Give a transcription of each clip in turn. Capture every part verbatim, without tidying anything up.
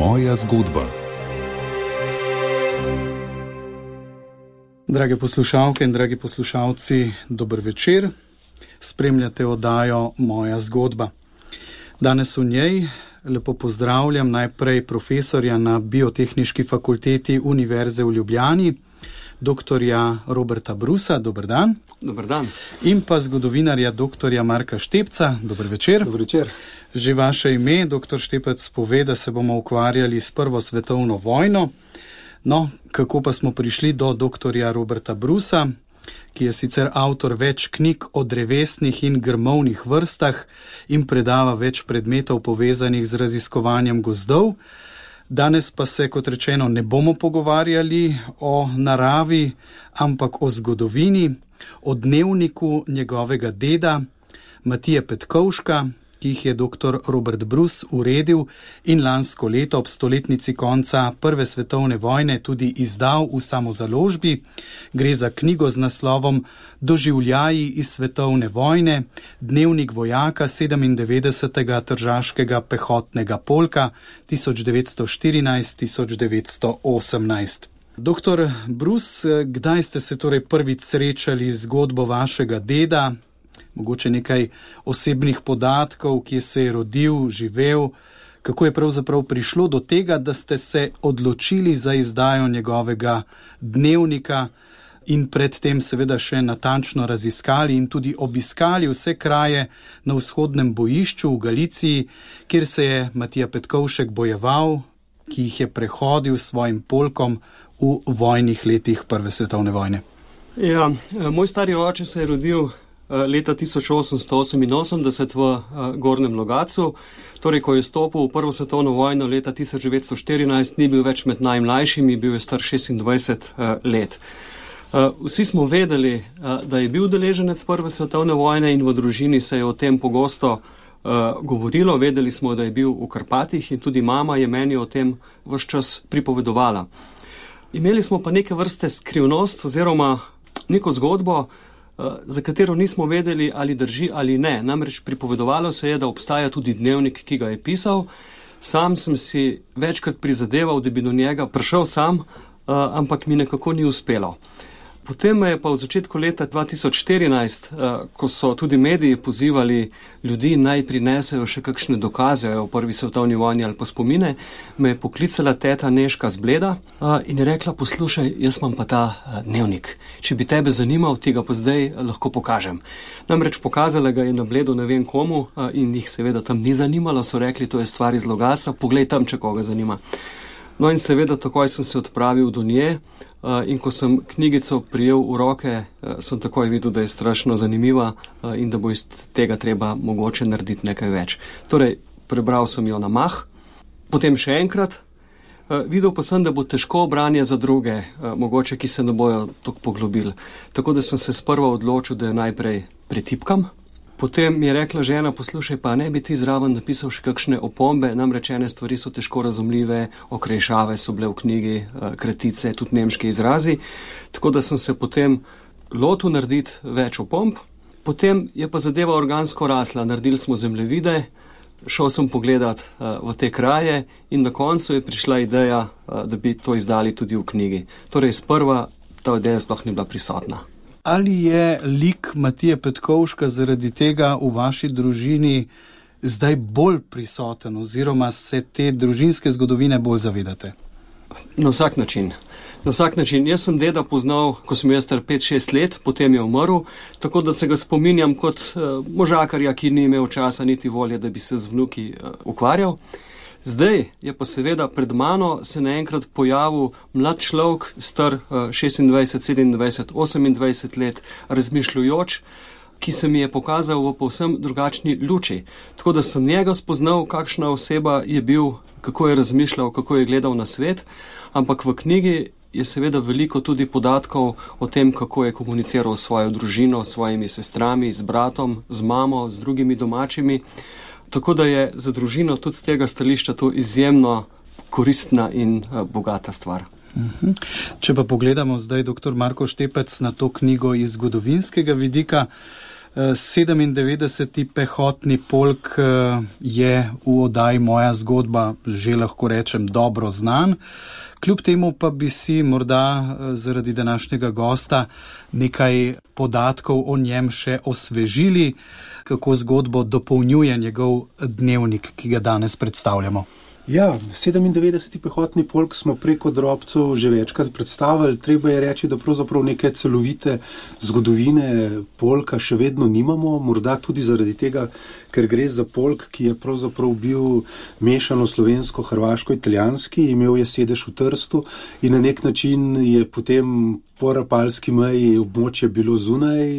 Moja zgodba. Drage poslušalke in dragi poslušalci, dober večer. Spremljate oddajo Moja zgodba. Danes v njej lepo pozdravljam najprej profesorja na Biotehniški fakulteti Univerze v Ljubljani, doktorja Roberta Brusa. Dober dan. Dober dan. In pa zgodovinarja doktorja Marka Štepca. Dober večer. Dober večer. Že vaše ime, doktor Štepec, pove, da se bomo ukvarjali s Prvo svetovno vojno. No, kako pa smo prišli do doktorja Roberta Brusa, ki je sicer avtor več knjig o drevesnih in grmovnih vrstah in predava več predmetov povezanih z raziskovanjem gozdov. Danes pa se, kot rečeno, ne bomo pogovarjali o naravi, ampak o zgodovini, o dnevniku njegovega deda, Matije Petkovška, ki jih je doktor Robert Brus uredil in lansko leto ob stoletnici konca Prve svetovne vojne tudi izdal v samozaložbi. Gre za knjigo z naslovom Doživljaji iz svetovne vojne, dnevnik vojaka sedemindevetdesetega tržaškega pehotnega polka tisoč devetsto štirinajst do tisoč devetsto osemnajst. Doktor Brus, kdaj ste se torej prvič srečali z zgodbo vašega deda? Mogoče nekaj osebnih podatkov, kje se je rodil, živel, kako je pravzaprav prišlo do tega, da ste se odločili za izdajo njegovega dnevnika in predtem seveda še natančno raziskali in tudi obiskali vse kraje na vzhodnem bojišču v Galiciji, kjer se je Matija Petkovšek bojeval, ki jih je prehodil s svojim polkom v vojnih letih Prve svetovne vojne. Ja, moj stari oče se je rodil leta tisoč osemsto oseminosemdeset v Gornjem Logatcu, torej ko je stopil v Prvo svetovno vojno leta tisoč devetsto štirinajst, ni bil več med najmlajšimi, bil je star šestindvajset let. Vsi smo vedeli, da je bil udeleženec Prve svetovne vojne in v družini se je o tem pogosto govorilo, vedeli smo, da je bil v Karpatih in tudi mama je meni o tem ves čas pripovedovala. Imeli smo pa neke vrste skrivnost oziroma neko zgodbo, za katero nismo vedeli, ali drži ali ne. Namreč pripovedovalo se je, da obstaja tudi dnevnik, ki ga je pisal. Sam sem si večkrat prizadeval, da bi do njega prišel sam, ampak mi nekako ni uspelo. Potem me je pa v začetku leta dva tisoč štirinajst, ko so tudi mediji pozivali ljudi, naj prinesejo še kakšne dokaze o Prvi svetovni vojni ali pa spomine, me je poklicala teta Nežka z Bleda in je rekla, poslušaj, jaz imam pa ta dnevnik. Če bi tebe zanimal, ti ga pa zdaj lahko pokažem. Namreč pokazala ga je na Bledu ne vem komu in jih seveda tam ni zanimalo, so rekli, to je stvar iz Logatca, poglej tam, če koga zanima. No in seveda takoj sem se odpravil do nje in ko sem knjigico prijel v roke, sem takoj videl, da je strašno zanimiva in da bo iz tega treba mogoče narediti nekaj več. Torej, prebral sem jo na mah, potem še enkrat, videl pa sem, da bo težko branje za druge, mogoče, ki se ne bojo toliko poglobili. Tako da sem se sprva odločil, da jo najprej pretipkam. Potem mi je rekla žena, poslušaj, pa ne bi ti zraven napisal še kakšne opombe, namreč ene stvari so težko razumljive, okrešave so bile v knjigi, kratice, tudi nemški izrazi, tako da sem se potem lotil narediti več opomb. Potem je pa zadeva organsko rasla, naredili smo zemljevide, šel sem pogledat v te kraje in na koncu je prišla ideja, da bi to izdali tudi v knjigi. Torej, sprva ta ideja sploh ni bila prisotna. Ali je lik Matije Petkovška zaradi tega v vaši družini zdaj bolj prisoten oziroma se te družinske zgodovine bolj zavedate? Na vsak način. Na vsak način. Jaz sem deda poznal, ko sem jaz star pet šest let, potem je umrl, tako da se ga spominjam kot uh, možakarja, ki ni imel časa niti volje, da bi se z vnuki uh, ukvarjal. Zdaj je pa seveda pred mano se naenkrat pojavil mlad človek, star šestindvajset, sedemindvajset, osemindvajset let, razmišljujoč, ki se mi je pokazal v povsem drugačni luči. Tako da sem njega spoznal, kakšna oseba je bil, kako je razmišljal, kako je gledal na svet, ampak v knjigi je seveda veliko tudi podatkov o tem, kako je komuniciral s svojo družino, s svojimi sestrami, z bratom, z mamo, z drugimi domačimi. Tako da je za družino tudi z tega stališča to izjemno koristna in bogata stvar. Uh-huh. Če pa pogledamo zdaj, doktor Marko Štepec, na to knjigo iz zgodovinskega vidika, sedemindevetdeseti pehotni polk je v oddaji Moja zgodba, že lahko rečem, dobro znan. Kljub temu pa bi si morda zaradi današnjega gosta nekaj podatkov o njem še osvežili, kako zgodbo dopolnjuje njegov dnevnik, ki ga danes predstavljamo. Ja, sedemindevetdeseti pehotni polk smo preko drobcev že večkrat predstavili. Treba je reči, da pravzaprav neke celovite zgodovine polka še vedno nimamo, morda tudi zaradi tega, ker gre za polk, ki je pravzaprav bil mešano slovensko-hrvaško-italijanski, imel je sedež v Trstu in na nek način je potem po rapalski meji območje bilo zunaj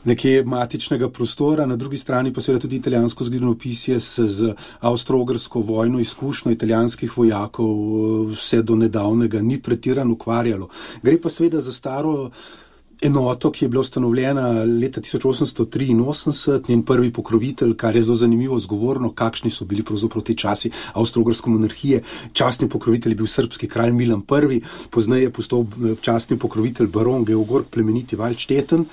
nekje matičnega prostora, na drugi strani pa seveda tudi italijansko zgodovinopisje se z avstro-ogrsko vojno izkušnjo italijanskih vojakov vse do nedavnega ni pretirano ukvarjalo. Gre pa seveda za staro enoto, ki je bila ustanovljena leta tisoč osemsto triinosemdeset, njen prvi pokrovitelj, kar je zelo zanimivo zgovorno, kakšni so bili pravzaprav te časi avstro-ogrske monarhije. Častni pokrovitelj je bil srbski kralj Milan Prvi, pozneje je postal častni pokrovitelj baron Georg Plemeniti Valdšteten.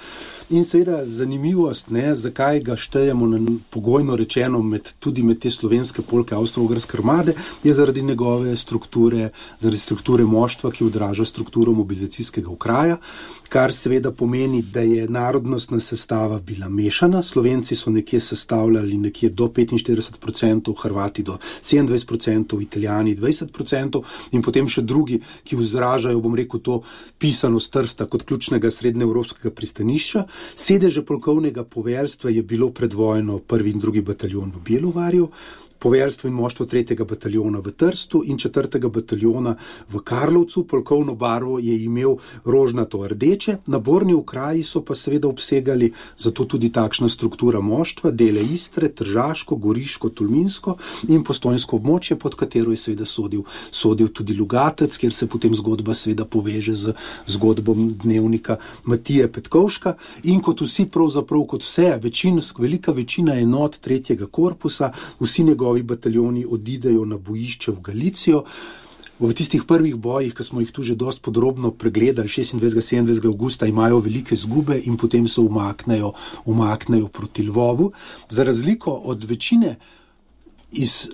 In seveda zanimivost, ne, zakaj ga štejemo na pogojno rečeno med, tudi med te slovenske polke avstro-ogrske armade, je zaradi njegove strukture, zaradi strukture moštva, ki odraža strukturo mobilizacijskega okraja, kar seveda pomeni, da je narodnostna sestava bila mešana. Slovenci so nekje sestavljali nekje do petinštirideset procentov, Hrvati do sedemindvajset procentov, Italijani dvajset procentov in potem še drugi, ki izražajo, bom rekel, to pisanost Trsta kot ključnega srednjeevropskega pristanišča. Sedeže polkovnega poveljstva je bilo pred vojno prvi in drugi bataljon v Bjelovarju, poveljstvo in moštvo tretjega bataljona v Trstu in četrtega bataljona v Karlovcu. Polkovno barvo je imel rožnato rdeče, naborni okraji so pa seveda obsegali zato tudi takšna struktura moštva, dele Istre, Tržaško, Goriško, Tolminsko in Postojnsko območje, pod katero je seveda sodil, sodil tudi Lugatec, kjer se potem zgodba seveda poveže z zgodbom dnevnika Matije Petkovška. In kot vsi pravzaprav, kot vse, večinsk, velika večina enot tretjega korpusa, vsi njegovi bataljoni odidejo na bojišče v Galicijo. V tistih prvih bojih, ki smo jih tu že dosti podrobno pregledali, šestindvajsetega sedemindvajsetega avgusta, imajo velike izgube in potem se umaknejo, umaknejo proti Lvovu. Za razliko od večine iz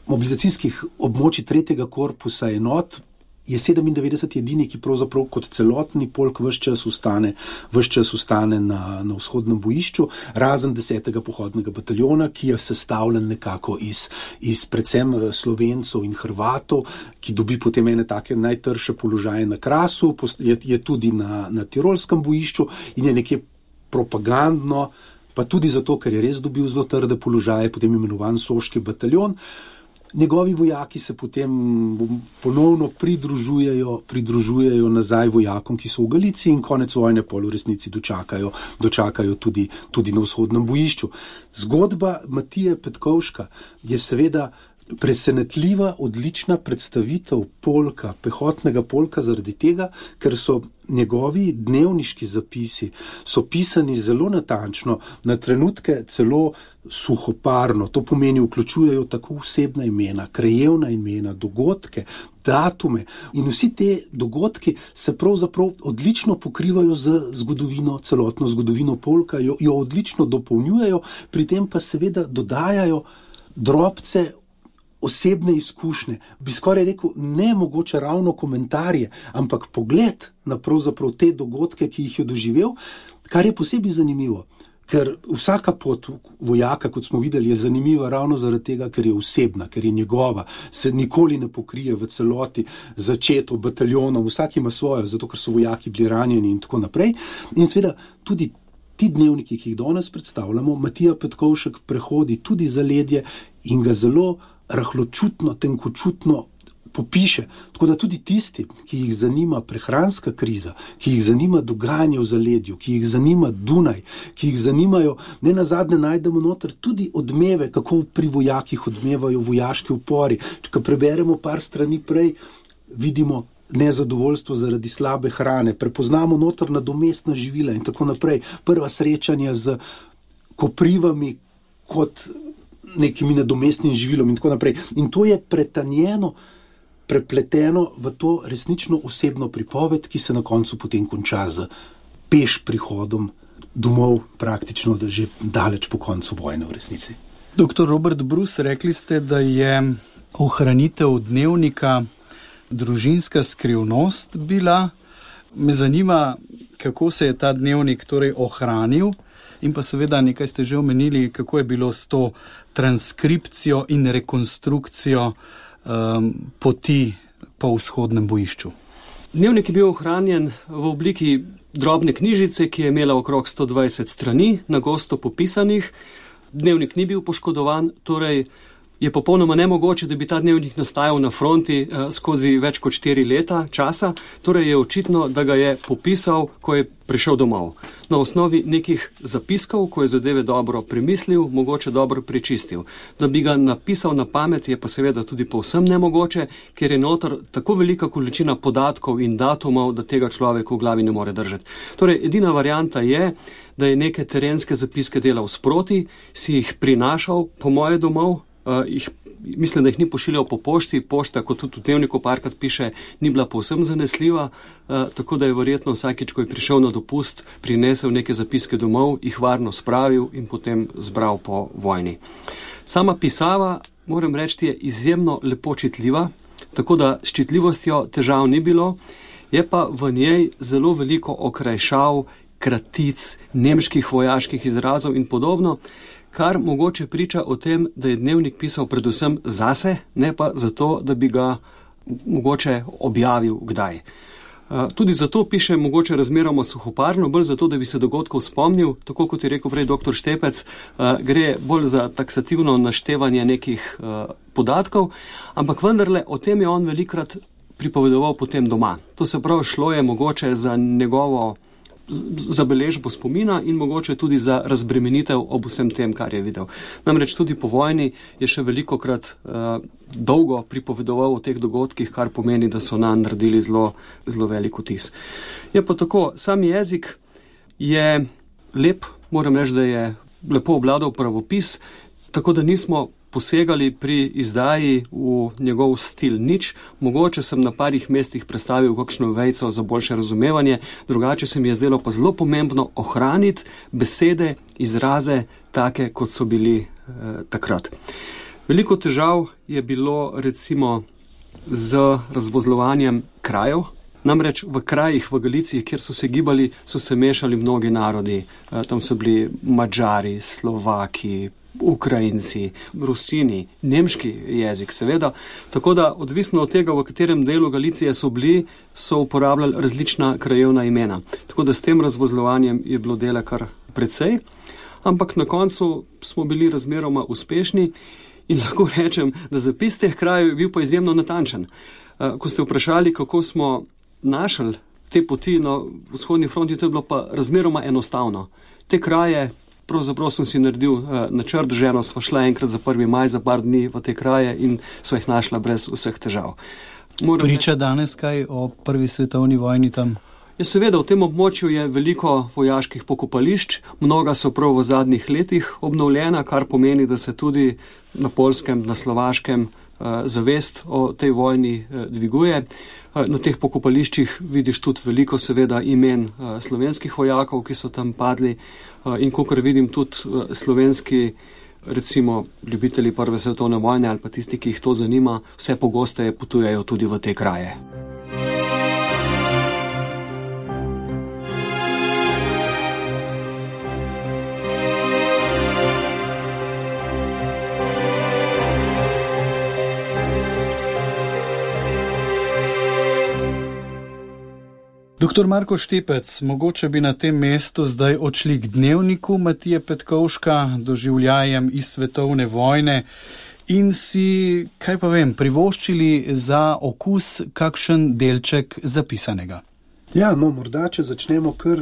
mobilizacijskih območij tretjega korpusa enot, je sedemindevetdeset edini, ki pravzaprav kot celotni polk ves čas ustane, ves čas ustane na, na vzhodnem bojišču, razen desetega pohodnega bataljona, ki je sestavljen nekako iz, iz predvsem Slovencov in Hrvatov, ki dobi potem ene take najtrše položaje na Krasu, je, je tudi na, na tirolskem bojišču in je nekje propagandno, pa tudi zato, ker je res dobil zelo trde položaje, potem imenovan Soški bataljon. Njegovi vojaki se potem ponovno pridružujejo, pridružujejo nazaj vojakom, ki so v Galiciji in konec vojne pol v resnici dočakajo, dočakajo tudi, tudi na vzhodnem bojišču. Zgodba Matije Petkovška je seveda presenetljiva, odlična predstavitev polka, pehotnega polka zaradi tega, ker so njegovi dnevniški zapisi so pisani zelo natančno, na trenutke celo suhoparno. To pomeni, vključujejo tako osebna imena, krajevna imena, dogodke, datume in vsi te dogodki se pravzaprav odlično pokrivajo z zgodovino, celotno zgodovino polka, jo, jo odlično dopolnjujejo, pri tem pa seveda dodajajo drobce osebne izkušnje, bi skoraj rekel, ne mogoče ravno komentarje, ampak pogled na pravzaprav te dogodke, ki jih je doživel, kar je posebej zanimivo, ker vsaka pot vojaka, kot smo videli, je zanimiva ravno zaradi tega, ker je osebna, ker je njegova, se nikoli ne pokrije v celoti začeto bataljonom, vsak ima svojo, zato ker so vojaki bili ranjeni in tako naprej. In seveda tudi ti dnevniki, ki jih danes predstavljamo, Matija Petkovšek prehodi tudi zaledje in ga zelo rahločutno, tenkočutno popiše. Tako da tudi tisti, ki jih zanima prehranska kriza, ki jih zanima dogajanje v zaledju, ki jih zanima Dunaj, ki jih zanimajo, ne nazadnje najdemo noter tudi odmeve, kako pri vojakih odmevajo vojaški upori. Če preberemo par strani prej, vidimo nezadovoljstvo zaradi slabe hrane, prepoznamo noter nadomestna živila in tako naprej. Prva srečanja z koprivami kot nekimi nadomestnim živilom in tako naprej. In to je pretanjeno, prepleteno v to resnično osebno pripoved, ki se na koncu potem konča z peš prihodom domov praktično, da že daleč po koncu vojne v resnici. Doktor Robert Brus, rekli ste, da je ohranitev dnevnika družinska skrivnost bila. Me zanima, kako se je ta dnevnik torej ohranil in pa seveda nekaj ste že omenili, kako je bilo s to transkripcijo in rekonstrukcijo um, poti po vzhodnem bojišču. Dnevnik je bil ohranjen v obliki drobne knjižice, ki je imela okrog sto dvajset strani, na gosto popisanih. Dnevnik ni bil poškodovan, torej je popolnoma nemogoče, da bi ta dnevnik nastajal na fronti eh, skozi več kot štiri leta časa, torej je očitno, da ga je popisal, ko je prišel domov. Na osnovi nekih zapiskov, ko je zadeve dobro premislil, mogoče dobro prečistil. Da bi ga napisal na pamet, je pa seveda tudi povsem nemogoče, ker je notor tako velika količina podatkov in datumov, da tega človek v glavi ne more držati. Torej, edina varianta je, da je neke terenske zapiske delal sproti, si jih prinašal po moje domov, Uh, jih, mislim, da jih ni pošiljal po pošti, pošta, kot tudi v dnevniku parkrat piše, ni bila povsem zanesljiva, uh, tako da je verjetno vsakič, ko je prišel na dopust, prinesel neke zapiske domov, jih varno spravil in potem zbral po vojni. Sama pisava, moram reči, je izjemno lepo čitljiva, tako da s čitljivostjo težav ni bilo, je pa v njej zelo veliko okrajšav, kratic, nemških vojaških izrazov in podobno, kar mogoče priča o tem, da je dnevnik pisal predvsem zase, ne pa zato, da bi ga mogoče objavil kdaj. Tudi zato piše mogoče razmeroma suhoparno, bolj zato, da bi se dogodkov spomnil, tako kot je rekel prej doktor Štepec, gre bolj za taksativno naštevanje nekih podatkov, ampak vendarle o tem je on velikrat pripovedoval potem doma. To se prav šlo je mogoče za njegovo zabeležbo spomina in mogoče tudi za razbremenitev ob vsem tem, kar je videl. Namreč tudi po vojni je še velikokrat uh, dolgo pripovedoval o teh dogodkih, kar pomeni, da so nanj naredili zelo, zelo velik vtis. Je pa tako, sam jezik je lep, moram reči, da je lepo obvladal pravopis, tako da nismo posegali pri izdaji v njegov stil nič. Mogoče sem na parih mestih predstavil kakšno vejco za boljše razumevanje, drugače se mi je zdelo pa zelo pomembno ohraniti besede, izraze take, kot so bili eh, takrat. Veliko težav je bilo recimo z razvozlovanjem krajev. Namreč v krajih v Galiciji, kjer so se gibali, so se mešali mnogi narodi. Eh, tam so bili Madžari, Slovaki, Ukrajinci, Rusini, nemški jezik seveda, tako da odvisno od tega, v katerem delu Galicije so bili, so uporabljali različna krajevna imena. Tako da s tem razvozlovanjem je bilo dela kar precej, ampak na koncu smo bili razmeroma uspešni in lahko rečem, da zapis teh krajev je bil pa izjemno natančen. Ko ste vprašali, kako smo našli te poti na vzhodni fronti, to je bilo pa razmeroma enostavno. Te kraje pravzaprav sem si naredil uh, načrt, ženo sva šla enkrat za prvi maj za par dni v te kraje in sva jih našla brez vseh težav. Moram Priča reči, danes kaj o prvi svetovni vojni tam? Ja, seveda, v tem območju je veliko vojaških pokopališč, mnoga so prav v zadnjih letih obnovljena, kar pomeni, da se tudi na Poljskem, na Slovaškem uh, zavest o tej vojni uh, dviguje. Na teh pokopališčih vidiš tudi veliko seveda imen uh, slovenskih vojakov, ki so tam padli uh, in kakor vidim tudi uh, slovenski recimo ljubitelji prve svetovne vojne ali pa tisti, ki jih to zanima, vse pogosteje potujejo tudi v te kraje. Doktor Marko Štepec, mogoče bi na tem mestu zdaj odšli k dnevniku Matije Petkovška, doživljajem iz svetovne vojne in si, kaj pa vem, privoščili za okus kakšen delček zapisanega. Ja, no, morda, če začnemo kar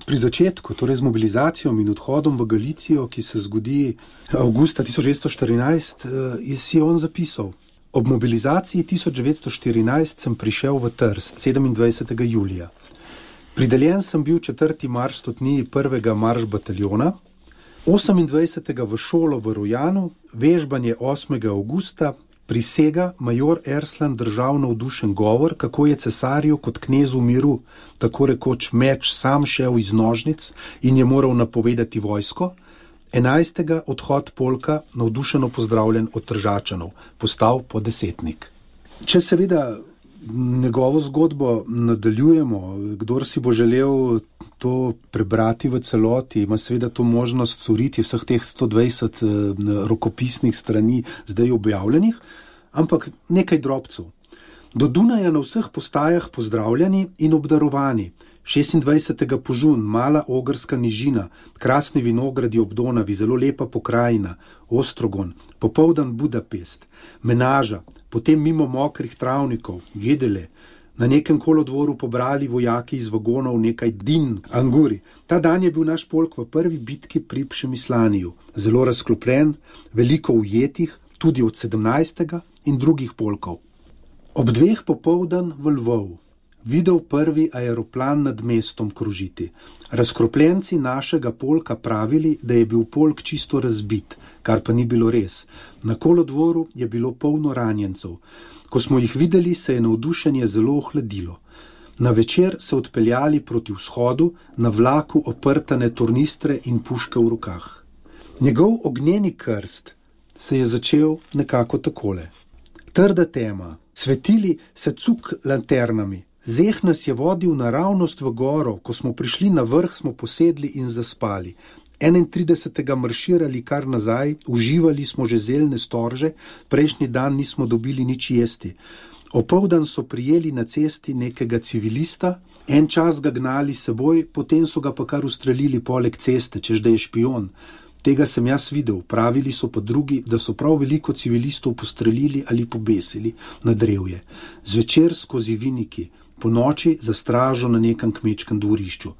pri začetku, torej z mobilizacijo in odhodom v Galicijo, ki se zgodi avgusta tisoč devetsto štirinajst, je si on zapisal. Ob mobilizaciji tisoč devetsto štirinajst sem prišel v Trst sedemindvajsetega julija. Prideljen sem bil četrti marš stotniji prvega marš bataljona, osemindvajsetega v šolo v Rojanu, vežbanje osmega avgusta, prisega major Erslan držal navdušen govor, kako je cesarju kot knezu miru, tako rekoč meč sam šel iz nožnic in je moral napovedati vojsko. Enajstega odhod polka, navdušeno pozdravljen od Tržačanov, postal podesetnik. Če seveda njegovo zgodbo nadaljujemo, kdor si bo želel to prebrati v celoti, ima seveda to možnost storiti vseh teh sto dvajset rokopisnih strani zdaj objavljenih, ampak nekaj drobcev. Do Dunaja na vseh postajah pozdravljeni in obdarovani. šestindvajsetega požun, mala ogrska nižina, krasni vinogradi ob Donavi, zelo lepa pokrajina, Ostrogon, popoldan Budapest, Menaža, potem mimo mokrih travnikov, Gedele, na nekem kolodvoru pobrali vojaki iz vagonov nekaj din, anguri. Ta dan je bil naš polk v prvi bitki pri Přemyslaniju, zelo razklopljen, veliko ujetih, tudi od sedemnajstega in drugih polkov. Ob dveh popoldan v Lvov. Videl prvi aeroplan nad mestom kružiti. Razkropljenci našega polka pravili, da je bil polk čisto razbit, kar pa ni bilo res. Na kolodvoru je bilo polno ranjencev. Ko smo jih videli, se je navdušenje zelo ohladilo. Na večer se odpeljali proti vzhodu, na vlaku oprtane tornistre in puške v rokah. Njegov ognjeni krst se je začel nekako takole. Trda tema, svetili se cuk lanternami. Zeh nas je vodil naravnost v goro, ko smo prišli na vrh, smo posedli in zaspali. enaintridesetega marširali kar nazaj, uživali smo že zeljne storže, prejšnji dan nismo dobili nič jesti. Opoldan so prijeli na cesti nekega civilista, en čas ga gnali seboj, potem so ga pa kar ustrelili poleg ceste, češ da je špion. Tega sem jaz videl, pravili so pa drugi, da so prav veliko civilistov postrelili ali pobesili na drevje. Zvečer skozi viniki, po noči za stražo na nekem kmečkem dvorišču.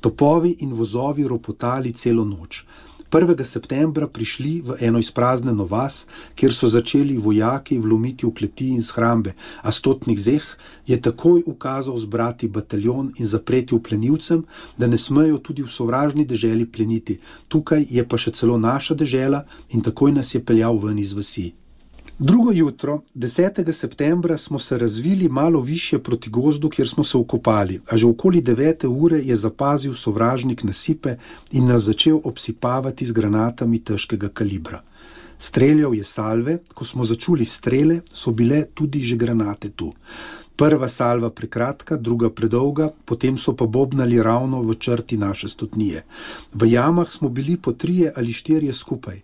Topovi in vozovi ropotali celo noč. prvega septembra prišli v eno izpraznjeno vas, kjer so začeli vojaki vlomiti v kleti in shrambe, a stotnik Zeh je takoj ukazal zbrati bataljon in zapreti v plenilcem, da ne smejo tudi v sovražni deželi pleniti. Tukaj je pa še celo naša dežela in takoj nas je peljal ven iz vasi. Drugo jutro, desetega septembra, smo se razvili malo višje proti gozdu, kjer smo se okopali, a že okoli devete ure je zapazil sovražnik nasipe in nas začel obsipavati z granatami težkega kalibra. Streljal je salve, ko smo začuli strele, so bile tudi že granate tu. Prva salva prekratka, druga predolga, potem so pa bobnali ravno v črti naše stotnije. V jamah smo bili po trije ali štirje skupaj.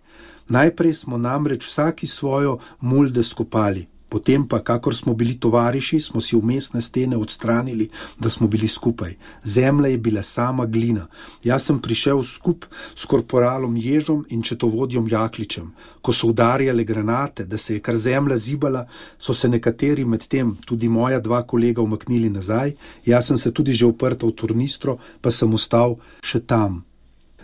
Najprej smo namreč vsaki svojo mulde skopali, potem pa, kakor smo bili tovariši, smo si vmesne stene odstranili, da smo bili skupaj. Zemlja je bila sama glina. Jaz sem prišel skup s korporalom Ježom in četovodjom Jakličem. Ko so udarjale granate, da se je kar zemlja zibala, so se nekateri med tem, tudi moja dva kolega, umaknili nazaj. Jaz sem se tudi že uprtal v tornistro, pa sem ostal še tam.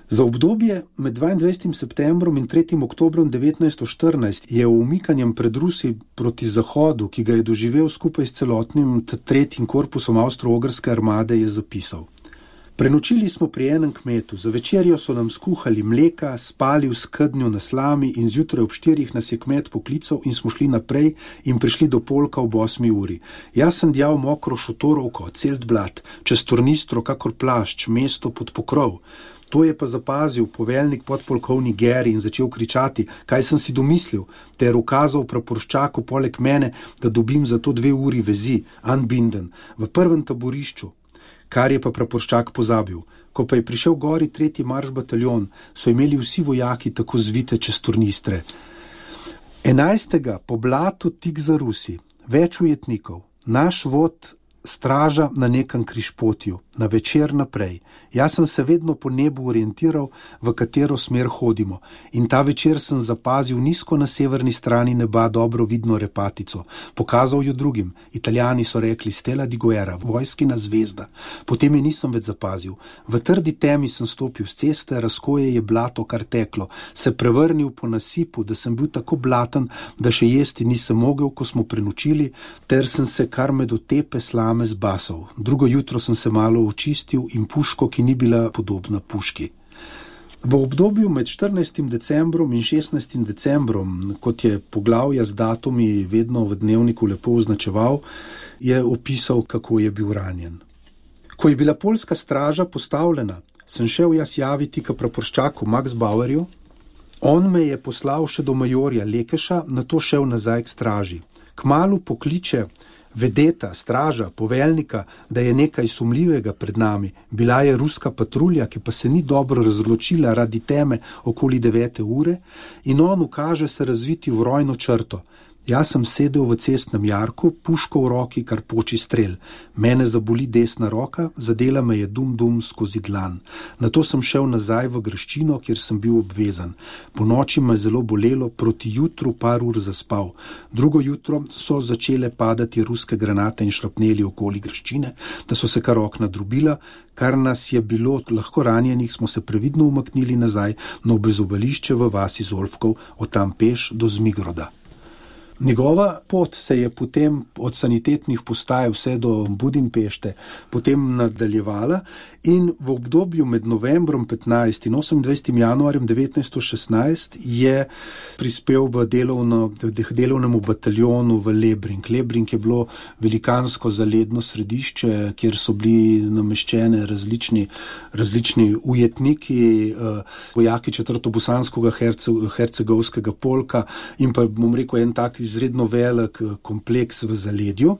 Za obdobje med dvaindvajsetim septembrom in tretjim oktobrom devetnajststo štirinajst je v umikanjem pred Rusi proti zahodu, ki ga je doživel skupaj s celotnim tretjim korpusom avstro-ogrske armade, je zapisal. Prenočili smo pri enem kmetu, za večerjo so nam skuhali mleka, spali v skednju na slami in zjutraj ob štirih nas je kmet poklical in smo šli naprej in prišli do polka ob osmi uri. Jaz sem djal mokro šotorovko, celt blat, čez tornistro kakor plašč, mesto pod pokrov. To je pa zapazil poveljnik podpolkovnik Geri in začel kričati, kaj sem si domislil, ter ukazal praporščaku poleg mene, da dobim za to dve uri vezi, unbinden, v prvem taborišču, kar je pa praporščak pozabil. Ko pa je prišel gori tretji marš bataljon, so imeli vsi vojaki tako zvite čez tornistre. Enajstega po blatu tik za Rusi, več ujetnikov, naš vod straža na nekem križpotju, na večer naprej. Jaz sem se vedno po nebu orientiral, v katero smer hodimo. In ta večer sem zapazil nizko na severni strani neba dobro vidno repatico. Pokazal jo drugim. Italijani so rekli Stella di Guerra, vojskina zvezda. Potem je nisem več zapazil. V trdi temi sem stopil z ceste, razkoje je blato kar teklo. Se prevrnil po nasipu, da sem bil tako blaten, da še jesti nisem mogel, ko smo prenočili, ter sem se kar med otepe slame zbasal. Drugo jutro sem se malo očistil in puško, ki ni bila podobna puški. V obdobju med štirinajstim decembrom in šestnajstim decembrom, kot je poglavja z datumi vedno v dnevniku lepo označeval, je opisal, kako je bil ranjen. Ko je bila poljska straža postavljena, sem šel jaz javiti k praporščaku Max Bauerju. On me je poslal še do majorja Lekeša, nato šel nazaj k straži. Kmalu pokliče vedeta, straža, poveljnika, da je nekaj sumljivega pred nami. Bila je ruska patrulja, ki pa se ni dobro razločila radi teme okoli devete ure in on ukaže se razviti v rojno črto. Jaz sem sedel v cestnem jarku, puško v roki, kar poči strel. Mene zaboli desna roka, zadela me je dum-dum skozi dlan. Nato sem šel nazaj v graščino, kjer sem bil obvezan. Po noči me je zelo bolelo, proti jutru par ur zaspal. Drugo jutro so začele padati ruske granate in šrapneli okoli graščine, da so se kar okna drobila, kar nas je bilo lahko ranjenih, smo se previdno umaknili nazaj na obezobališče v vasi Zolfkov, od tam peš do Zmigroda. Njegova pot se je potem od sanitetnih postaj vse do Budimpešte potem nadaljevala in v obdobju med novembrom petnajstim in osemindvajsetim januarjem devetnajststo šestnajst je prispel v delovno, delovnemu bataljonu v Lebring. Lebring je bilo velikansko zaledno središče, kjer so bili nameščene različni, različni ujetniki, vojaki četrtobosanskega hercegovskega polka in pa, bom rekel, en tak izredno velik kompleks v zaledju.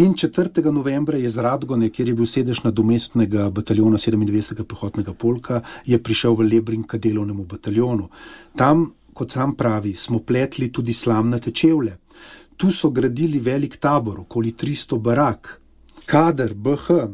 In četrtega novembra je z Radgone, kjer je bil sedež nadomestnega bataljona sedemindvajsetega pehotnega polka, je prišel v Lebring k delovnemu bataljonu. Tam, kot sam pravi, smo pletli tudi slamnate čevlje. Tu so gradili velik tabor, okoli tristo barak. Kader, B H,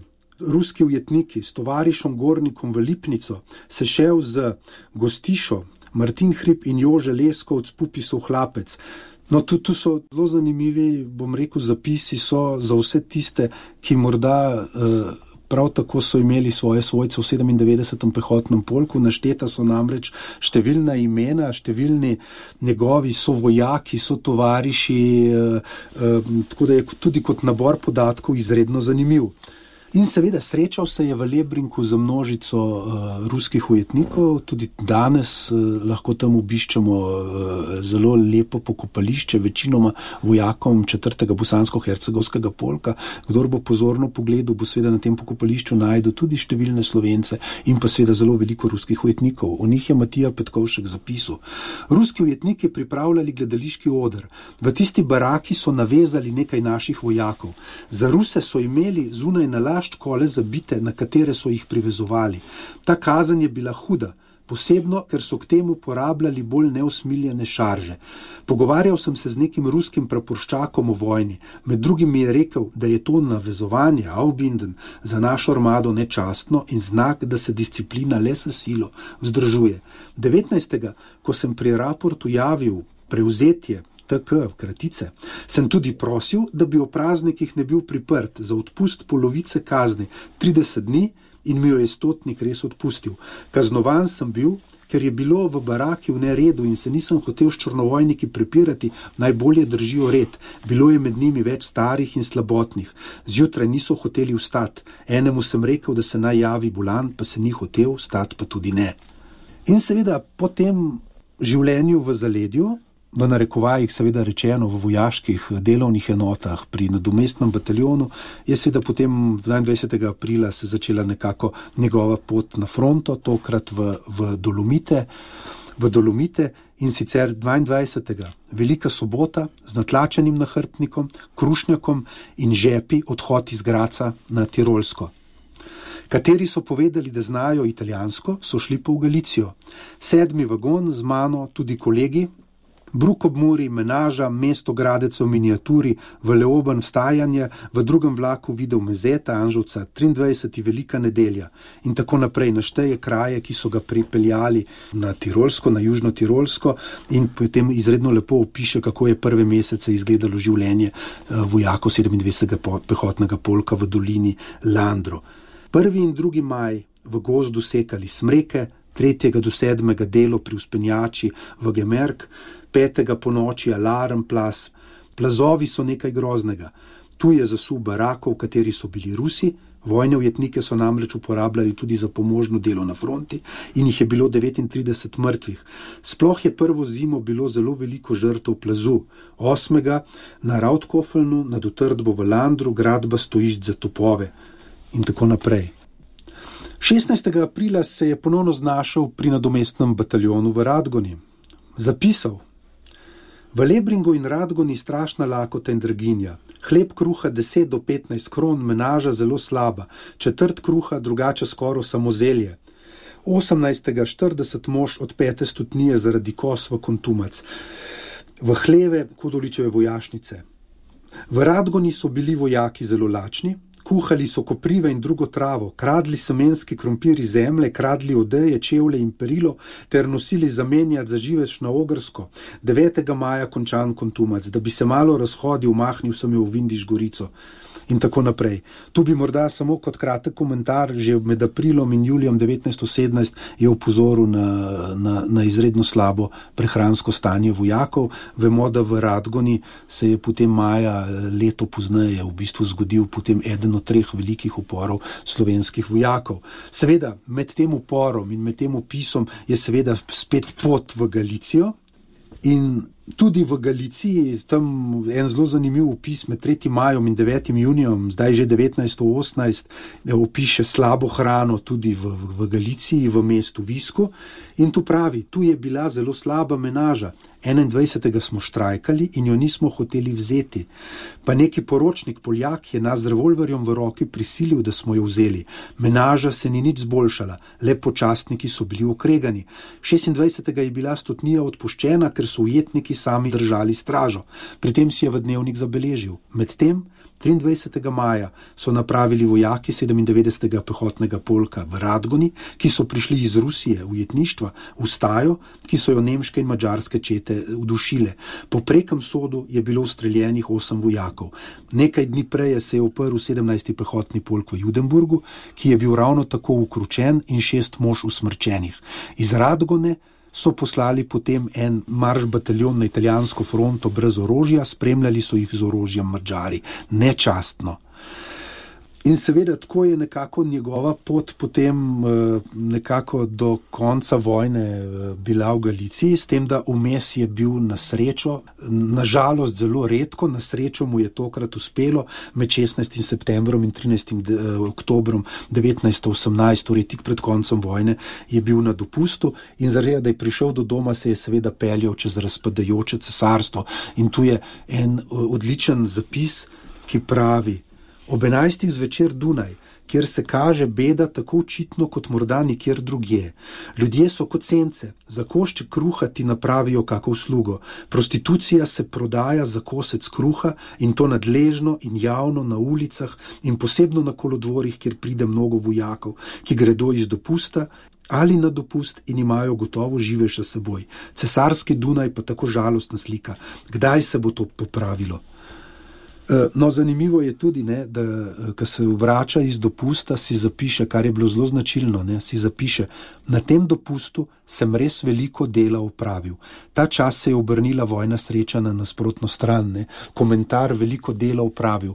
ruski ujetniki s tovarišom Gornikom v Lipnico, se šel z Gostišo, Martin Hrib in Jože Leskovc, Pupisov hlapec. No, tu, tu so zelo zanimivi, bom rekel, zapisi so za vse tiste, ki morda eh, prav tako so imeli svoje svojce v sedemindevetdesetem pehotnem polku. Našteta so namreč številna imena, številni njegovi sovojaki, so tovariši, eh, eh, tako da je tudi kot nabor podatkov izredno zanimiv. In seveda srečal se je v Lebringu z množico uh, ruskih ujetnikov, tudi danes uh, lahko tam obiščemo uh, zelo lepo pokopališče, večinoma vojakom četrtega bosansko-hercegovskega polka. Kdor bo pozorno pogledal, bo seveda na tem pokopališču najdel tudi številne Slovence in pa seveda zelo veliko ruskih ujetnikov. O njih je Matija Petkovšek zapisal. Ruski ujetniki pripravljali gledališki oder. V tisti baraki so navezali nekaj naših vojakov. Za Ruse so imeli zunaj na laž kole zabite, na katere so jih privezovali. Ta kazen je bila huda, posebno, ker so k temu porabljali bolj neusmiljene šarže. Pogovarjal sem se z nekim ruskim praporščakom o vojni. Med drugim mi je rekel, da je to navezovanje, Aufbinden, za našo armado nečastno in znak, da se disciplina le s silo vzdržuje. devetnajstega ko sem pri raportu javil prevzetje T K, kratice, sem tudi prosil, da bi o praznikih ne bil priprt za odpust polovice kazni, trideset dni, in mi jo je stotnik res odpustil. Kaznovan sem bil, ker je bilo v baraki v neredu in se nisem hotel s črnovojniki prepirati, najbolje držijo red. Bilo je med njimi več starih in slabotnih. Zjutraj niso hoteli vstati. Enemu sem rekel, da se naj javi bolan, pa se ni hotel, vstati pa tudi ne. In seveda po tem življenju v zaledju, v narekovajih seveda rečeno v vojaških delovnih enotah pri nadomestnem bataljonu, je seveda potem dvaindvajsetega aprila se začela nekako njegova pot na fronto, tokrat v, v Dolomite, v Dolomite in sicer dvaindvajsetega Velika sobota z natlačenim nahrbtnikom, krušnjakom in žepi odhod iz Graca na Tirolsko. Kateri so povedali, da znajo italijansko, so šli pa v Galicijo. Sedmi vagon z mano, tudi kolegi, Bruk ob Muri, Menaža, Mesto Gradec v miniaturi, v Leoben vstajanje, v drugem vlaku videl Mezeta, Anžovca, triindvajseti Velika nedelja in tako naprej našteje kraje, ki so ga pripeljali na Tirolsko, na Južno Tirolsko in potem izredno lepo opiše, kako je prve mesece izgledalo življenje vojakov sedemindvajsetega pehotnega polka v dolini Landro. Prvi in drugi maj v gozdu sekali smreke, tretjega do sedmega delo pri vzpenjači v Gemerk, petega po noči alarm plas. Plazovi so nekaj groznega. Tu je zasul barako, v kateri so bili Rusi. Vojne ujetnike so namreč uporabljali tudi za pomožno delo na fronti in jih je bilo devetintrideset mrtvih. Sploh je prvo zimo bilo zelo veliko žrtev plazu. Osmega na Rautkofelnu, nad utrdbo v Landru, gradba stojišč za topove in tako naprej. šestnajstega aprila se je ponovno znašel pri nadomestnem bataljonu v Radgoni. Zapisal: v Lebringu in Radgoni strašna lakota in draginja. Hleb kruha deset do petnajst kron, menaža zelo slaba, četrt kruha, drugače skoro samo zelje. osemnajstega štirideset mož od pete stotnije zaradi kos v Kontumac, v hleve Kodoličeve vojašnice. V Radgoni so bili vojaki zelo lačni, kuhali so koprive in drugo travo, kradli semenski krompir iz zemlje, kradli odeje, čevlje in perilo ter nosili zamenjati za živež na Ogrsko. devetega maja končan Kontumac, da bi se malo razhodil, mahnil sem jo v Vindiš Gorico. In tako naprej. Tu bi morda samo kot kratek komentar, že med aprilom in julijem devetnajststo sedemnajst je upozoril na, na, na izredno slabo prehransko stanje vojakov. Vemo, da v Radgoni se je potem maja leto pozneje v bistvu zgodil potem eden od treh velikih uporov slovenskih vojakov. Seveda, med tem uporom in med tem opisom je seveda spet pot v Galicijo. In tudi v Galiciji, tam en zelo zanimiv opis med tretjim majem in devetim junijem, zdaj že devetnajststo osemnajst, opiše slabo hrano tudi v, v, v Galiciji, v mestu Visku. In tu pravi, tu je bila zelo slaba menaža. enaindvajsetega smo štrajkali in jo nismo hoteli vzeti. Pa neki poročnik Poljak je nas z revolverjem v roki prisilil, da smo jo vzeli. Menaža se ni nič zboljšala, le počastniki so bili okregani. šestindvajsetega je bila stotnija odpuščena, ker so ujetniki sami držali stražo. Pri tem si je v dnevnik zabeležil. Medtem triindvajsetega maja so napravili vojaki sedemindevetdesetega pehotnega polka v Radgoni, ki so prišli iz Rusije, ujetništva, v stajo, ki so jo nemške in madžarske čete udušile. Po prekem sodu je bilo ustreljenih osem vojakov. Nekaj dni prej se je uprl sedemnajsti pehotni polk v Judenburgu, ki je bil ravno tako ukručen in šest mož usmrčenih. Iz Radgone so poslali potem en marš bataljon na italijansko fronto brez orožja, spremljali so jih z orožjem Madžari. Nečastno. In seveda tako je nekako njegova pot potem nekako do konca vojne bila v Galiciji, s tem, da vmes je bil na srečo, na žalost zelo redko, na srečo mu je tokrat uspelo med šestnajstim septembrom in trinajstim oktobrom devetnajststo osemnajst, torej tik pred koncem vojne, je bil na dopustu in zaradi, da je prišel do doma, se je seveda peljal čez razpadajoče cesarstvo. In tu je en odličen zapis, ki pravi: ob enajstih zvečer Dunaj, kjer se kaže beda tako očitno kot morda nikjer drugje. Ljudje so kot sence, za košček kruha ti napravijo kako uslugo. Prostitucija se prodaja za kosec kruha in to nadležno in javno na ulicah in posebno na kolodvorih, kjer pride mnogo vojakov, ki gredo iz dopusta ali na dopust in imajo gotovo živeša s seboj. Cesarski Dunaj pa tako žalostna slika. Kdaj se bo to popravilo? No, zanimivo je tudi, ne, da ko se vrača iz dopusta, si zapiše, kar je bilo zelo značilno, ne, si zapiše: na tem dopustu sem res veliko dela opravil. Ta čas se je obrnila vojna sreča na nasprotno stran, ne. Komentar: veliko dela opravil.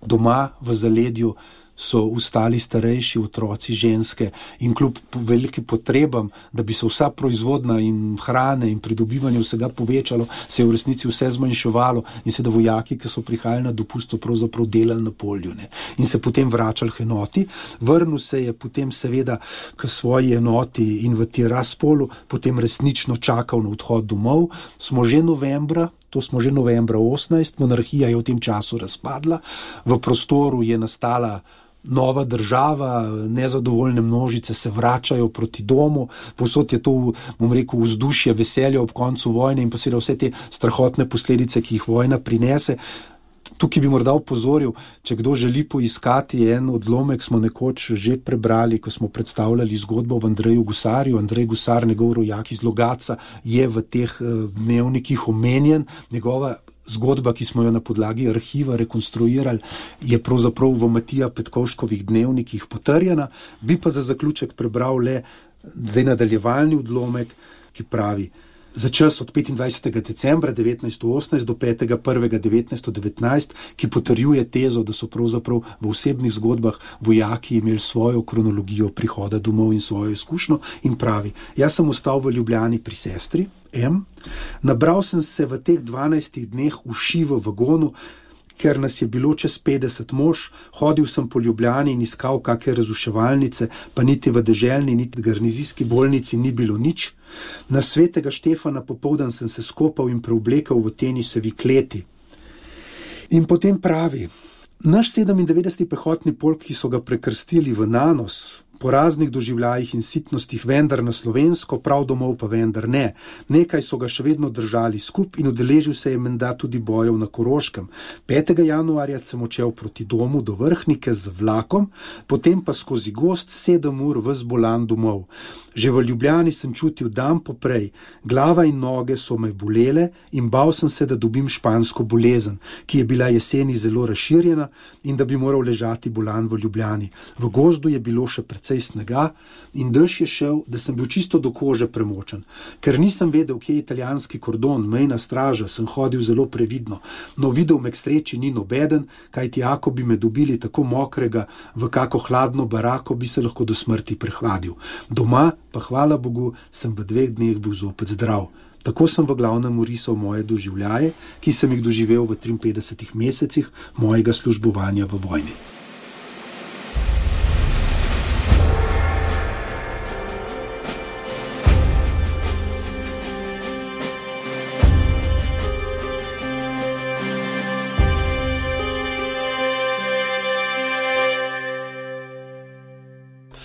Doma v zaledju so ustali starejši, otroci, ženske in kljub velikim potrebam, da bi se vsa proizvodna in hrane in pridobivanje vsega povečalo, se je v resnici vse zmanjševalo in se da vojaki, ki so prihajali na dopust, so pravzaprav delali na polju, ne. In se potem vračali k enoti. Vrnil se je potem seveda k svoji enoti in v Tiraspolu potem resnično čakal na odhod domov. Smo že novembra, to smo že novembra osemnajst, monarhija je v tem času razpadla, v prostoru je nastala nova država, nezadovoljne množice se vračajo proti domu, povsod je to, bom rekel, vzdušje veselja ob koncu vojne in pa seveda vse te strahotne posledice, ki jih vojna prinese. Tukaj bi morda upozoril, če kdo želi poiskati en odlomek, smo nekoč že prebrali, ko smo predstavljali zgodbo v Andreju Gusarju. Andrej Gusar, njegov rojak iz Logatca, je v teh dnevnikih omenjen. Njegova zgodba, ki smo jo na podlagi arhiva rekonstruirali, je pravzaprav v Matija Petkovškovih dnevnikih potrjena. Bi pa za zaključek prebral le zdaj nadaljevalni odlomek, ki pravi: za čas od petindvajsetega decembra devetnajststo osemnajst do petega prvega devetnajststo devetnajst, ki potrjuje tezo, da so pravzaprav v osebnih zgodbah vojaki imeli svojo kronologijo prihoda domov in svojo izkušnjo in pravi, jaz sem ostal v Ljubljani pri sestri, M, nabral sem se v teh dvanajstih dneh uši v vagonu, ker nas je bilo čez petdeset mož, hodil sem po Ljubljani in iskal kakšne razuševalnice, pa niti v deželni, niti v garnizijski bolnici ni bilo nič. Na svetega Štefana popoldan sem se skopal in preoblekal v tenisovi kleti. In potem pravi, naš sedemindevetdeseti pehotni polk, ki so ga prekrstili v Nanos, po raznih doživljajih in sitnostih, vendar na slovensko, prav domov pa vendar ne. Nekaj so ga še vedno držali skup in udeležil se je menda tudi bojev na Koroškem. petega januarja sem odšel proti domu do Vrhnike z vlakom, potem pa skozi gozd sedem ur ves bolan domov. Že v Ljubljani sem čutil dan poprej, glava in noge so me bolele in bal sem se, da dobim špansko bolezen, ki je bila jeseni zelo razširjena in da bi moral ležati bolan v Ljubljani. V gozdu je bilo še precej snega in dež je šel, da sem bil čisto do kože premočen. Ker nisem vedel, kje je italijanski kordon, mejna straža, sem hodil zelo previdno. No, videl me k sreči ni nobeden, kajti ako bi me dobili tako mokrega v kako hladno barako, bi se lahko do smrti prehladil. Doma pa hvala Bogu sem v dveh dneh bil zopet zdrav. Tako sem v glavnem orisal moje doživljaje, ki sem jih doživel v triinpetdesetih mesecih mojega službovanja v vojni.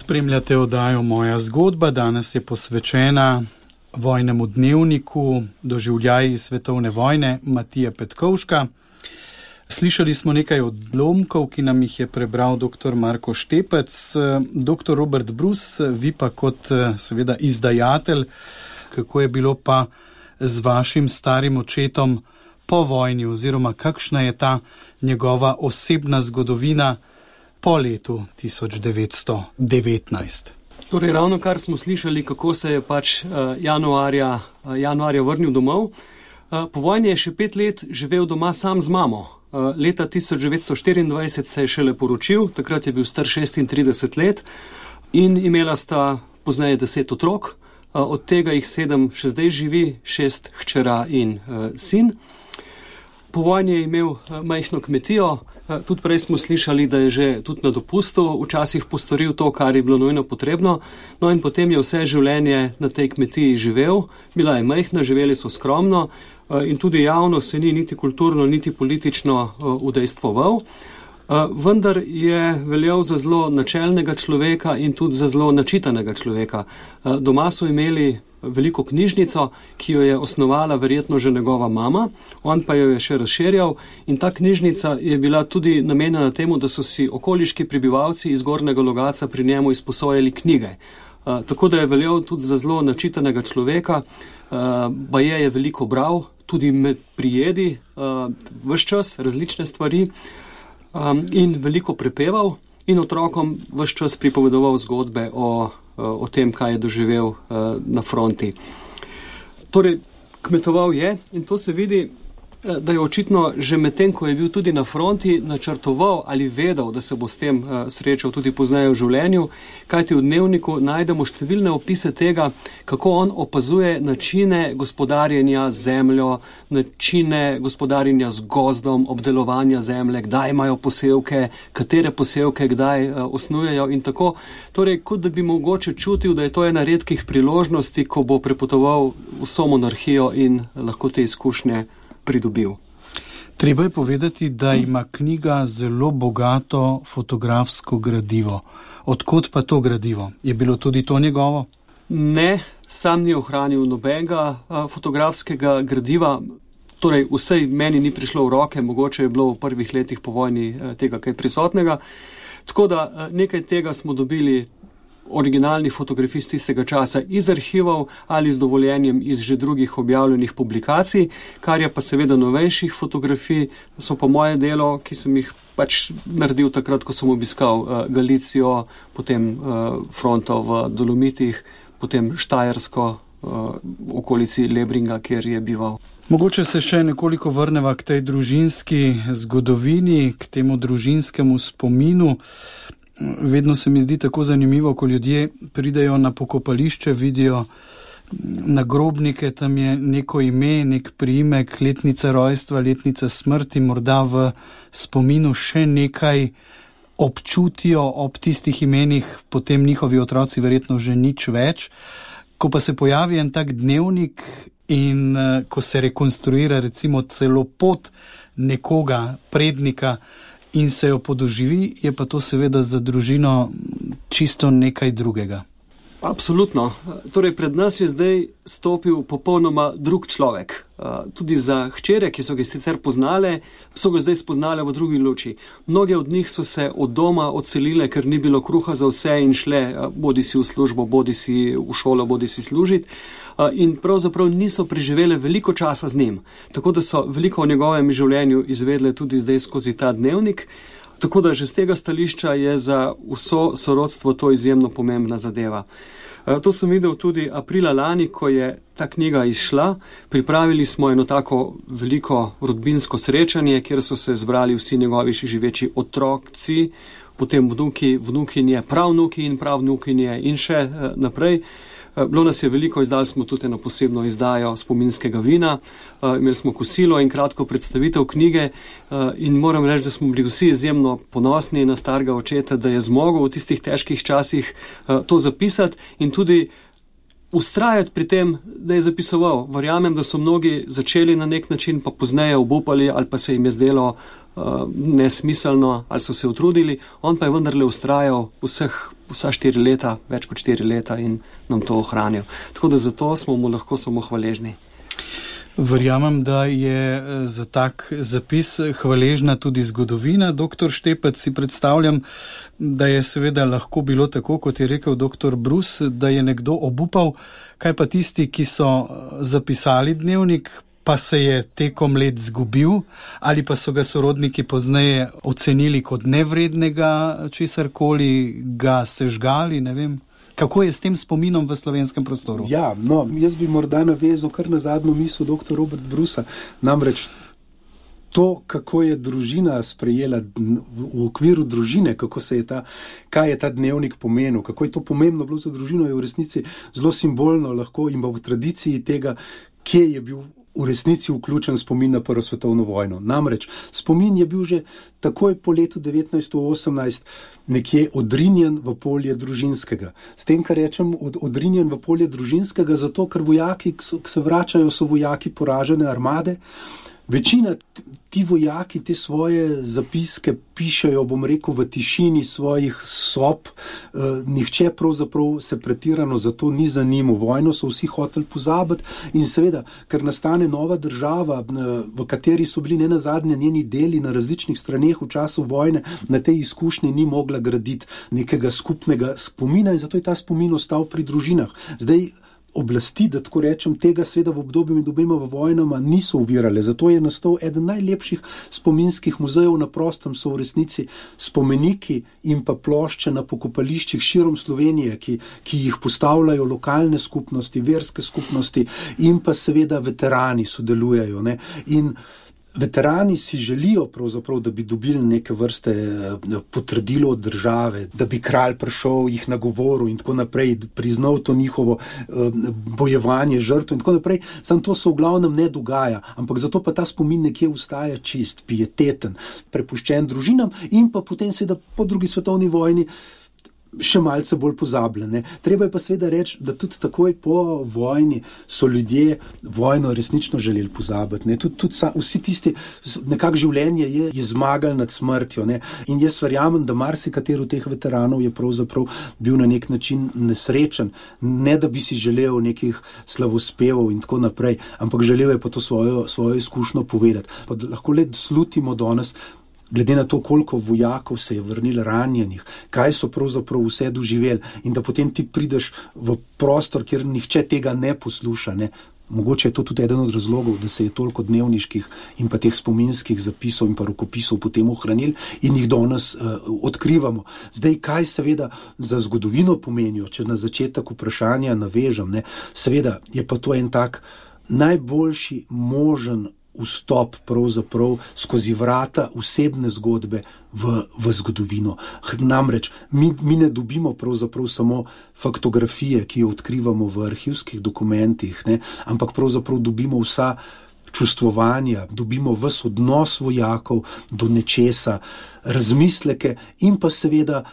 Spremljate oddajo Moja zgodba, danes je posvečena vojnemu dnevniku, doživljaji svetovne vojne Matija Petkovška. Slišali smo nekaj odlomkov, ki nam jih je prebral doktor Marko Štepec. Doktor Robert Brus, vi pa kot seveda izdajatelj, kako je bilo pa z vašim starim očetom po vojni oziroma kakšna je ta njegova osebna zgodovina po letu tisoč devetsto devetnajst. Torej, ravno kar smo slišali, kako se je pač januarja, januarja vrnil domov. Po vojni je še pet let živel doma sam z mamo. Leta tisoč devetsto štiriindvajset se je šele poročil, takrat je bil star šestintrideset let in imela sta pozneje deset otrok, od tega jih sedem še zdaj živi, šest hčera in sin. Po vojni je imel majhno kmetijo, tudi prej smo slišali, da je že tudi na dopustu včasih postoril to, kar je bilo nujno potrebno, no in potem je vse življenje na tej kmetiji živel, bila je majhna, živeli so skromno in tudi javno se ni niti kulturno, niti politično udejstvoval, vendar je veljal za zelo načelnega človeka in tudi za zelo načitanega človeka. Doma so imeli veliko knjižnico, ki jo je osnovala verjetno že njegova mama, on pa jo je še razširjal in ta knjižnica je bila tudi namenjena temu, da so si okoliški prebivalci iz Gornjega Logatca pri njemu izposojali knjige. Uh, tako da je veljal tudi za zelo načitanega človeka, uh, baje je veliko bral, tudi med prijedi, uh, ves čas različne stvari um, in veliko prepeval in otrokom ves čas pripovedoval zgodbe o o tem, kaj je doživel na fronti. Torej, kmetoval je in to se vidi, da je očitno že medtem, ko je bil tudi na fronti, načrtoval ali vedel, da se bo s tem srečal tudi pozneje v življenju, kajti v dnevniku najdemo številne opise tega, kako on opazuje načine gospodarjenja z zemljo, načine gospodarjenja z gozdom, obdelovanja zemlje, kdaj imajo posevke, katere posevke kdaj osnujejo in tako. Torej, kot da bi mogoče čutil, da je to ena redkih priložnosti, ko bo prepotoval vso monarhijo in lahko te izkušnje pridobil. Treba je povedati, da ima knjiga zelo bogato fotografsko gradivo. Odkot pa to gradivo? Je bilo tudi to njegovo? Ne, sam ni ohranil nobenega fotografskega gradiva. Torej, vsej meni ni prišlo v roke, mogoče je bilo v prvih letih po vojni tega kaj prisotnega. Tako da nekaj tega smo dobili originalnih fotografij z tistega časa iz arhivov ali z dovoljenjem iz že drugih objavljenih publikacij, kar je pa seveda novejših fotografij, so pa moje delo, ki sem jih pač naredil takrat, ko sem obiskal uh, Galicijo, potem uh, fronto v Dolomitih, potem Štajersko, v okolici Lebringa, kjer je bival. Mogoče se še nekoliko vrneva k tej družinski zgodovini, k temu družinskemu spominu. Vedno se mi zdi tako zanimivo, ko ljudje pridejo na pokopališče, vidijo nagrobnike, tam je neko ime, nek priimek, letnica rojstva, letnica smrti, morda v spominu še nekaj občutijo ob tistih imenih, potem njihovi otroci verjetno že nič več. Ko pa se pojavi en tak dnevnik in uh, ko se rekonstruira recimo celo pot nekoga, prednika, in se jo podoživi, je pa to seveda za družino čisto nekaj drugega. Absolutno. Torej, pred nas je zdaj stopil popolnoma drug človek. Tudi za hčere, ki so ga sicer poznale, so ga zdaj spoznale v drugi luči. Mnoge od njih so se od doma odselile, ker ni bilo kruha za vse in šle bodi si v službo, bodi si v šolo, bodi si služiti. In pravzaprav niso preživele veliko časa z njim. Tako da so veliko o njegovem življenju izvedle tudi zdaj skozi ta dnevnik. Tako da že z tega stališča je za vso sorodstvo to izjemno pomembna zadeva. To sem videl tudi aprila lani, ko je ta knjiga izšla. Pripravili smo eno tako veliko rodbinsko srečanje, kjer so se zbrali vsi njegovi še živeči otroci, potem vnuki, vnukinje, pravnuki in pravnukinje in še naprej. Bilo nas je veliko, izdali smo tudi eno posebno izdajo spominskega vina, imeli smo kosilo in kratko predstavitev knjige in moram reči, da smo bili vsi izjemno ponosni na starega očeta, da je zmogel v tistih težkih časih to zapisati in tudi ustrajati pri tem, da je zapisoval. Verjamem, da so mnogi začeli na nek način, pa pozneje obupali ali pa se jim je zdelo uh, nesmiselno ali so se utrudili. On pa je vendarle ustrajal vseh, vsa štiri leta, več kot štiri leta in nam to ohranil. Tako da zato smo mu lahko samo hvaležni. Verjamem, da je za tak zapis hvaležna tudi zgodovina. Doktor Štepec, si predstavljam, da je seveda lahko bilo tako, kot je rekel doktor Brus, da je nekdo obupal. Kaj pa tisti, ki so zapisali dnevnik, pa se je tekom let zgubil, ali pa so ga sorodniki pozneje ocenili kot nevrednega česarkoli, ga sežgali, ne vem. Kako je s tem spominom v slovenskem prostoru? Ja, no, jaz bi morda navezal kar na zadnjo misel doktor Robert Brusa. Namreč to, kako je družina sprejela v okviru družine, kako se je ta, kaj je ta dnevnik pomenil, kako je to pomembno bilo za družino, je v resnici zelo simbolno lahko in v tradiciji tega, kje je bil v resnici vključen spomin na Prvo svetovno vojno. Namreč spomin je bil že takoj po letu devetnajststo osemnajst nekje odrinjen v polje družinskega. S tem, kar rečem, od, odrinjen v polje družinskega, zato ker vojaki, ki se vračajo, so vojaki poražene armade. Večina ti vojaki te svoje zapiske pišejo, bom rekel, v tišini svojih sob. E, nihče pravzaprav se pretirano za to ni zanimal. Vojno so vsi hoteli pozabiti in seveda, ker nastane nova država, v kateri so bili ne nazadnje njeni deli na različnih straneh v času vojne, na tej izkušnji ni mogla graditi nekega skupnega spomina in zato je ta spomin ostal pri družinah. Zdaj, oblasti, da tako rečem, tega sveda v obdobju med obema vojnama niso uvirale. Zato je nastal eden najlepših spominskih muzejev na prostem, so v resnici spomeniki in pa plošče na pokopališčih širom Slovenije, ki, ki jih postavljajo lokalne skupnosti, verske skupnosti in pa seveda veterani sodelujejo. Ne? In veterani si želijo pravzaprav, da bi dobili neke vrste potrdilo od države, da bi kralj prišel, jih nagovoril in tako naprej, priznal to njihovo bojevanje, žrtvo in tako naprej. Sam to se v glavnem ne dogaja, ampak zato pa ta spomin nekje ustaja čist, pieteten, prepuščen družinam in pa potem seveda po drugi svetovni vojni še malce bolj pozabljene. Treba je pa seveda reči, da tudi takoj po vojni so ljudje vojno resnično želeli pozabiti. Ne? Tudi, tudi sa, vsi tisti, nekak življenje je, je zmagal nad smrtjo. Ne? In jaz verjamem, da marsikatero teh veteranov je pravzaprav bil na nek način nesrečen. Ne, da bi si želel nekih slavospevov in tako naprej, ampak želel je pa to svojo, svojo izkušnjo povedati. Pa lahko le slutimo danes, glede na to, koliko vojakov se je vrnilo ranjenih, kaj so pravzaprav vse doživeli in da potem ti prideš v prostor, kjer nihče tega ne posluša, ne? Mogoče je to tudi eden od razlogov, da se je toliko dnevniških in pa teh spominskih zapisov in pa rokopisov potem ohranil in jih danes uh, odkrivamo. Zdaj, kaj seveda za zgodovino pomenijo, če na začetek vprašanja navežem, ne, seveda je pa to en tak najboljši možen vstop pravzaprav skozi vrata osebne zgodbe v, v zgodovino. Namreč, mi, mi ne dobimo pravzaprav samo faktografije, ki jo odkrivamo v arhivskih dokumentih, ne, ampak pravzaprav dobimo vsa čustvovanja, dobimo ves odnos vojakov do nečesa, razmisleke in pa seveda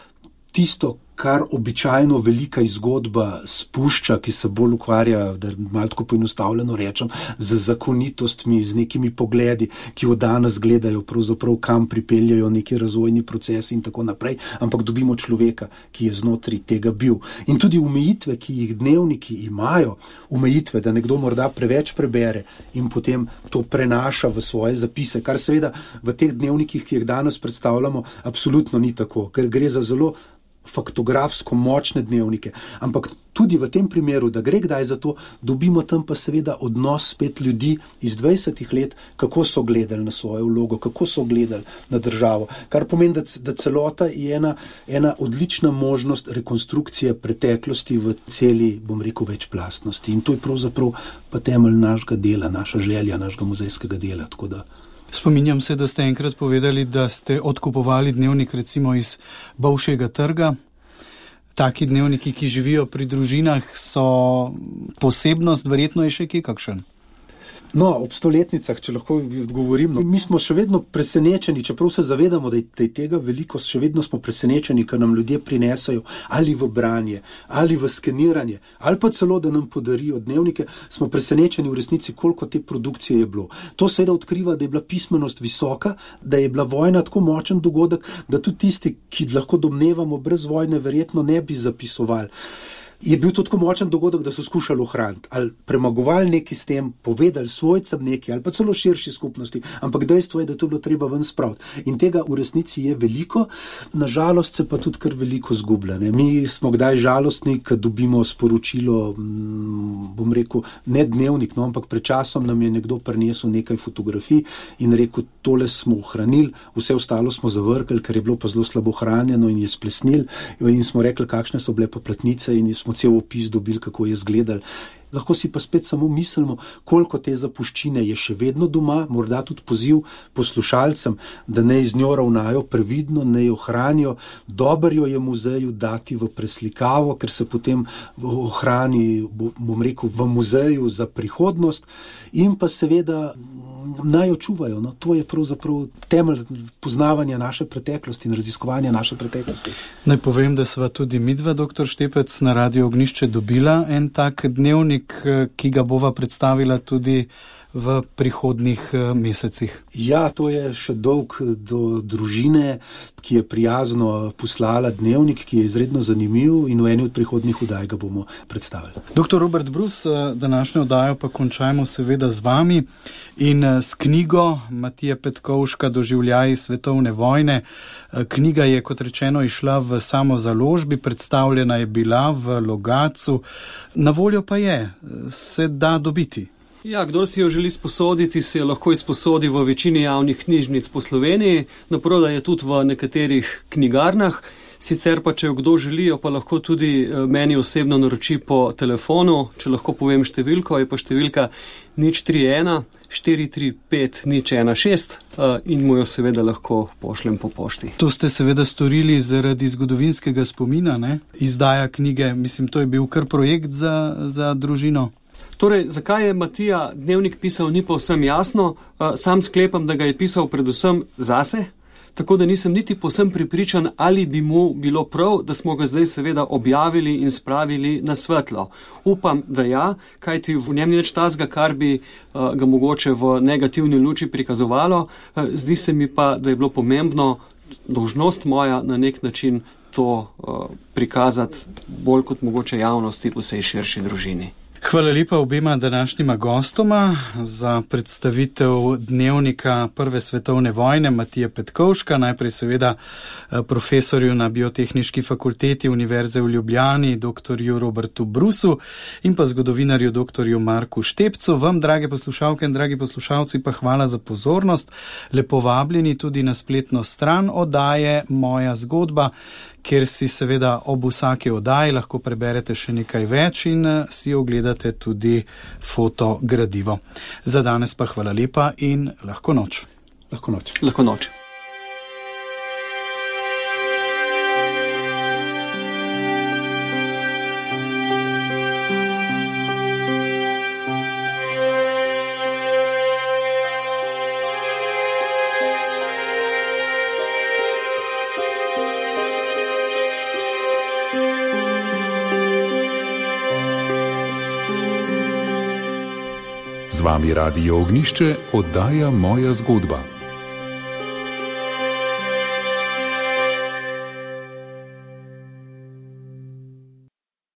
tisto, kar običajno velika zgodba spušča, ki se bolj ukvarja, da malo tako poenostavljeno rečem, z zakonitostmi, z nekimi pogledi, ki jo danes gledajo, pravzaprav kam pripeljajo neki razvojni procesi in tako naprej, ampak dobimo človeka, ki je znotraj tega bil. In tudi omejitve, ki jih dnevniki imajo, omejitve, da nekdo morda preveč prebere in potem to prenaša v svoje zapise, kar seveda v teh dnevnikih, ki jih danes predstavljamo, absolutno ni tako, ker gre za zelo faktografsko močne dnevnike, ampak tudi v tem primeru, da gre kdaj za to, dobimo tam pa seveda odnos spet ljudi iz dvajsetih let, kako so gledali na svojo vlogo, kako so gledali na državo, kar pomeni, da, da celota je ena, ena odlična možnost rekonstrukcije preteklosti v celi, bom rekel, večplastnosti. In to je pravzaprav pa temelj našega dela, naša želja, našega muzejskega dela, tako da Spominjam se, da ste enkrat povedali, da ste odkupovali dnevnik recimo iz Bolšjega trga. Taki dnevniki, ki živijo pri družinah, so posebnost, verjetno je še kje kakšen? No, ob stoletnicah, če lahko odgovorim, no, mi smo še vedno presenečeni, čeprav se zavedamo, da je tega veliko, še vedno smo presenečeni, ker nam ljudje prinesajo ali v branje, ali v skeniranje, ali pa celo, da nam podarijo dnevnike, smo presenečeni v resnici, koliko te produkcije je bilo. To seveda odkriva, da je bila pismenost visoka, da je bila vojna tako močen dogodek, da tudi tisti, ki lahko domnevamo brez vojne, verjetno ne bi zapisovali. Je bil to tako močen dogodek, da so skušali ohraniti, ali premagovali neki s tem, povedali svojcem neki, ali pa celo širši skupnosti, ampak dejstvo je, da to bilo treba ven spraviti. In tega v resnici je veliko, nažalost se pa tudi kar veliko zgublja. Ne? Mi smo kdaj žalostni, ko dobimo sporočilo, bom rekel, ne dnevnik, no, ampak pred časom nam je nekdo prinesel nekaj fotografij in rekel, tole smo ohranili, vse ostalo smo zavrkali, ker je bilo pa zelo slabo hranjeno in je splesnil, in smo rekli, kakšne so bile pa platnice in smo cel opis dobili, kako je izgledal. Lahko si pa spet samo mislimo, koliko te zapuščine je še vedno doma, morda tudi poziv poslušalcem, da ne z njo ravnajo previdno, ne jo hranijo, dobro jo je muzeju dati v preslikavo, ker se potem ohrani, bom rekel, v muzeju za prihodnost in pa seveda naj jo čuvajo. No, to je pravzaprav temelj poznavanja naše preteklosti in raziskovanja naše preteklosti. Naj povem, da sva tudi midva, doktor Štepec, na Radio Ognjišče dobila en tak dnevnik, ki ga bova predstavila tudi v prihodnjih mesecih. Ja, to je še dolg do družine, ki je prijazno poslala dnevnik, ki je izredno zanimiv in v eni od prihodnjih oddaj ga bomo predstavili. Doktor Robert Brus, današnjo oddajo pa končajmo seveda z vami in s knjigo Matije Petkovška Doživljaji svetovne vojne. Knjiga je, kot rečeno, išla v samozaložbi, predstavljena je bila v Logatcu, na voljo pa je, se da dobiti. Ja, kdor si jo želi sposoditi, se jo lahko izposodi v večini javnih knjižnic po Sloveniji, naprodaj je tudi v nekaterih knjigarnah, sicer pa, če jo kdo želi, jo pa lahko tudi meni osebno naroči po telefonu, če lahko povem številko, je pa številka nič tri ena štiri tri pet nič ena šest in mu jo seveda lahko pošljem po pošti. To ste seveda storili zaradi zgodovinskega spomina, ne? Izdaja knjige, mislim, to je bil kar projekt za, za družino. Torej, zakaj je Matija dnevnik pisal, ni povsem jasno. Sam sklepam, da ga je pisal predvsem zase, tako da nisem niti povsem prepričan, ali bi mu bilo prav, da smo ga zdaj seveda objavili in spravili na svetlo. Upam, da ja, kajti v njem ni nič tazga, kar bi ga mogoče v negativni luči prikazovalo. Zdi se mi pa, da je bilo pomembno, dolžnost moja na nek način to prikazati bolj kot mogoče javnosti v vsej širši družini. Hvala lepa obema današnjima gostoma za predstavitev dnevnika Prve svetovne vojne Matije Petkovška, najprej seveda profesorju na Biotehniški fakulteti Univerze v Ljubljani, doktorju Robertu Brusu in pa zgodovinarju doktorju Marku Štepcu. Vam, drage poslušalke in dragi poslušalci, pa hvala za pozornost. Lepo vabljeni tudi na spletno stran oddaje Moja zgodba, kjer si seveda ob vsaki oddaji lahko preberete še nekaj več in si ogledate tudi fotogradivo. Za danes pa hvala lepa in lahko noč. Lahko noč. Lahko noč. Z vami Radio Ognjišče, oddaja Moja zgodba.